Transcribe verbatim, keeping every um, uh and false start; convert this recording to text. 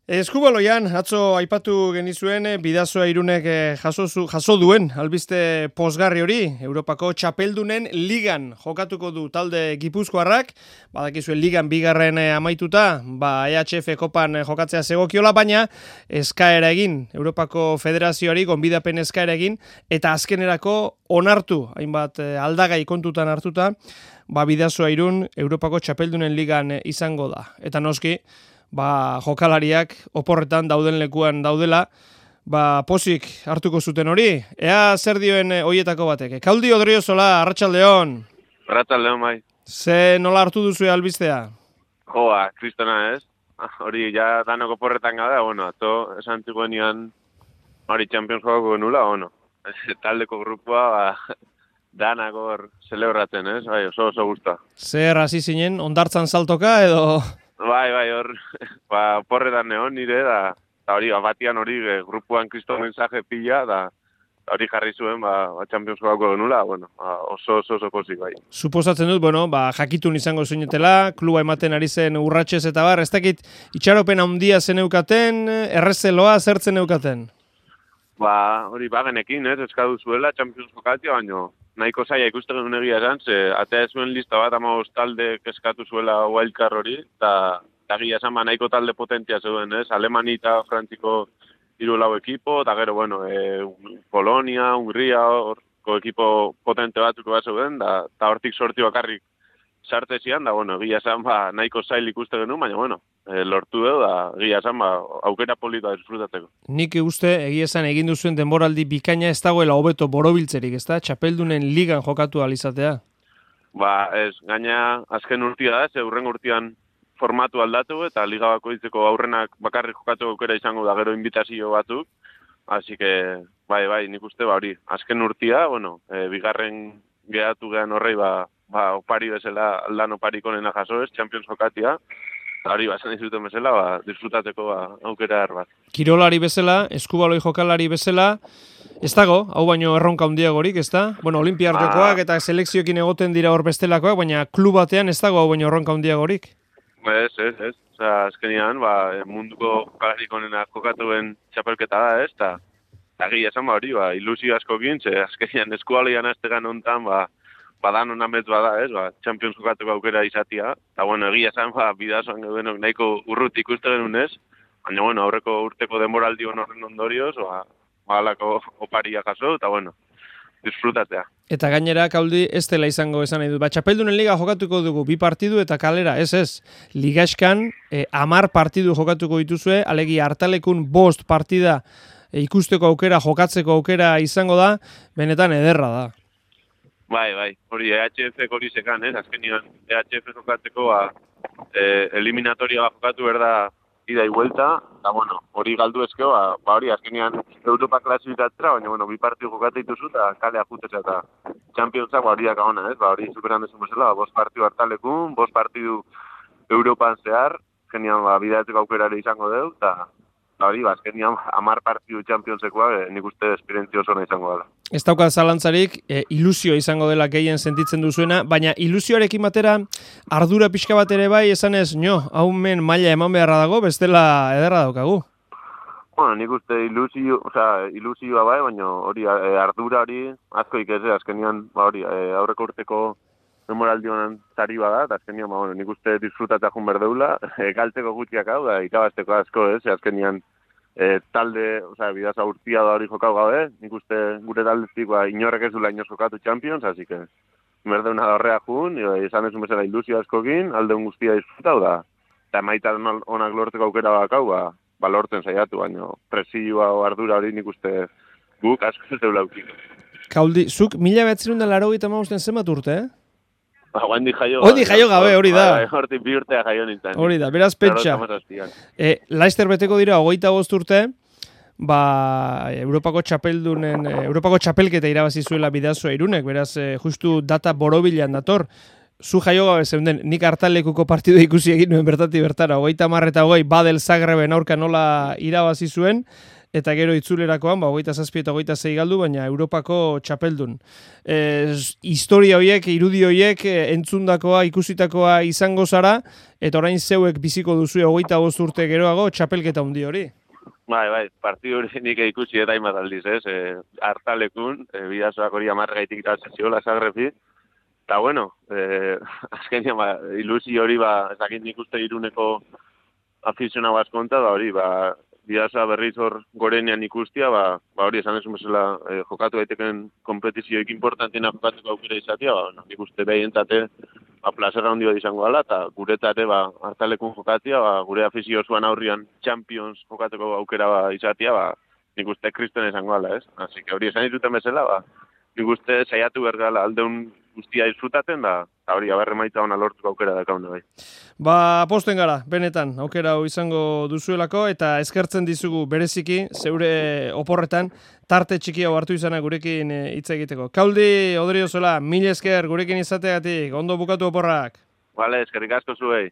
Eskubaloian, atzo aipatu genizuen, Bidasoa Irunek jaso, jaso duen, albiste posgarri hori, Europako txapeldunen ligan jokatuko du talde Gipuzkoarrak, badakizuen ligan bigarren amaituta, ba E H F kopan jokatzea zegokiola, baina eskaera egin, Europako Federazioari gonbidapen eskaera egin, eta azkenerako onartu, hainbat aldagai kontutan hartuta, ba Bidasoa Irun Europako txapeldunen ligan izango da. Eta noski, ba, jokalariak oporretan dauden lekuan daudela, ba, pozik hartuko zuten hori. Ea zer dioen hoietako batek. Kauldi Odriozola, arratsaldeon. Arratsaldeon bai. Ze nola hartu duzu albistea? Joa, kristona ez. Hori ja danok oporretan gada, bueno, ato esan ziguenian hori Champions jokako genula, bueno, taldeko grupua, ba, danak hor celebratzen, ez? Bai, oso oso gusta. Zer hasi zinen, ondartzan saltoka edo... Bai, bai, hor, ba, porretan neon nire, da, da hori, batian hori, e, grupuan kristo mensaje pila, da, da hori jarri zuen, ba, ba Champions jokako genula, bueno, ba, oso, oso, oso pozik, bai. Suposatzen dut, bueno, ba, jakitun izango zinetela, kluba ematen ari zen urratxez eta bar, ez dakit, itxaropen handia zeneukaten, errezeloa zertzen eukaten? Ba, hori bagenekin, ez, eskadu zuela, Champions jokatia, baino, nahiko zaila ikusten genuen egia esan, ze atea zuen lista bat amabost talde eskatu zuela wildcard hori, eta egia esan ba nahiko talde potentia zeuden, ez? Alemani eta Frantziko hiru lau ekipo, eta gero, bueno, e, Polonia, Hungria, horko ekipo potente batzuk bat zeuden, eta hortik sorti bakarrik sarte zian, da, bueno, egia esan ba nahiko zail ikusten genuen, baina, bueno, e, lortu edo, da, egia esan ba aukera polita disfrutatzeko. Nik uste, egia esan egin duzuen denboraldi bikaina ez dagoela hobeto borobiltzerik, ez da? Txapeldunen ligan jokatu alizatea? Ba, ez, gaina azken urtia da, ze hurren urtian formatu aldatu, eta liga bakoitzeko aurrenak bakarrik jokatu aukera izango da gero invitazio batzuk, así que, bai, bai, nik uste, ba, hori, azken urtia, bueno, e, bigarren gehatu gehan horrei, ba, ba, opari bezala, aldan oparik onena jaso ez, Champions jokatia, eta hori, ba, esan dizuten bezala, ba, disfrutatzeko ba, aukera erbat. Kirolari bezala, eskubaloi jokalari bezala, ez dago, hau baino erronka handiagorik, ez da? Bueno, olimpiar jokoak eta selekzioekin egoten dira hor bestelakoak, baina klub batean ez dago hau baino erronka handiagorik? Ez, ez, ez. Osa, azkenian, ba, munduko jokalarik onena jokatuen txapelketa da, ez, eta egia esan, ba, hori, ba, ilusio askokin, ze azkenian eskualoian aztegan ontan, ba, badan honamez bada, ez, ba, Champions jokatuko aukera izatia, eta, bueno, egia esan, ba, Bidasoan gebenok nahiko urrut ikuste genuen ez, baina, bueno, aurreko urteko denboraldi horren ondorioz, ba, balako oparia jaso, eta, bueno, disfrutatzea. Eta gainera, Kauldi, ez dela izango esan nahi dut. Ba, txapeldunen liga jokatuko dugu, bi partidu eta kalera, ez ez. Ligaxkan, eh, amar partidu jokatuko dituzue, alegi hartalekun bost partida eh, ikusteko aukera, jokatzeko aukera izango da, benetan ederra da. Bai, bai, hori E H F hori zekan, ez? Azkenian E H F jokatzeko, ba, eh, eliminatoria ba jokatu berda ida y vuelta, eta, bueno, hori galdu ezkeo, ba, ba hori, azkenean Europa klasifikatzera, baina, bueno, bi partidu jokatu dituzu, eta kalea juteza, eta Championsak, ba, hori daka ona, ez? Ba, hori superan desun bezala, ba, bost partidu hartalekun, bost partidu Europan zehar, azkenean, ba, bidatzeko aukerare izango deu, eta, ba, hori, ba, azkenean, amar partidu Championsekoa, e, nik uste esperientzia oso izango dela. Ez daukat zalantzarik, e, ilusio izango dela gehien sentitzen duzuena, baina ilusioarekin batera ardura pixka bat ere bai, esan ez, nio, haumen maila eman beharra dago, bestela ederra daukagu. Bueno, nik uste ilusio, osea, ilusioa bai, baina hori e, ardura hori asko ikese, azkenian, ba hori, e, aurreko urteko memoraldi honen zari bada, eta azkenian, ba, bueno, nik uste disfrutatzea jun berdeula, e, galtzeko gutxiak hau, da, ikabazteko asko, ez, azkenian, E, talde, osea, Bidasoa urtia da hori jokau gabe, nik uste gure taldetik ba, inorrek ez dula inoz jokatu Champions, así que merdeuna da horrea jun, izan ezun bezala ilusio askokin, aldeun guztia disfrutau da, eta maita onak lortzeko aukera bakau, ba, ba lortzen saiatu, baina presioa o ardura hori nik uste guk asko ez deula aukiko. Kauldi, zuk mila behatzerun da laro gita mauzten zenbat urte, eh? Ondi jaio, Ondi jaio gabe, hori da. Hortik bi urtea jaio nintzen. Hori da, beraz pentsa. E, Laster beteko dira, hogeita bost urte, ba, Europako txapeldunen, Europako txapelketa irabazi zuela Bidasoa Irunek, beraz, e, justu data borobilan dator. Zu jaio gabe zeunden, nik hartalekuko partidu ikusi egin nuen bertati bertara, hogeita marreta hogei, Badel Zagreben aurka nola irabazi zuen, eta gero itzulerakoan, ba, hogeita zazpi eta hogeita zei galdu, baina Europako txapeldun. E, historia horiek, irudi horiek, entzundakoa, ikusitakoa izango zara, eta orain zeuek biziko duzu hogeita bost urte geroago txapelketa handi hori. Bai, bai, partidu hori nik ikusi eta hainbat aldiz, ez? E, hartalekun, e, bidazoak hori amargaitik iratzen ziola Zagrebi, eta bueno, e, azkenean, ba, ilusi hori, ba, ezakit nik uste Iruneko afizionau askonta, ba, hori, ba, bidazoa berriz hor gorenean ikustia, ba, ba hori esan ezun bezala e, jokatu daiteken kompetizioik importantiena jokatuko aukera izatea, ba, no, nik uste behientate, ba, plazera handi bat izango gala, eta guretate, ba, hartalekun jokatia, ba, gure afizio zuan aurrian Champions jokatuko aukera ba, izatea, ba, nik uste kristen izango gala, ez? Así que hori esan dituten bezala, ba, nik uste saiatu bergala aldeun guztia disfrutaten, da, eta hori, abarre maita hona lortuko aukera dakaune bai. Ba, posten gara, benetan, aukera hau izango duzuelako, eta eskertzen dizugu bereziki, zeure oporretan, tarte txiki hau hartu izana gurekin hitz egiteko. Kauldi, Odriozola, mil esker gurekin izateagatik, ondo bukatu oporrak. Vale, eskerrik asko zuei.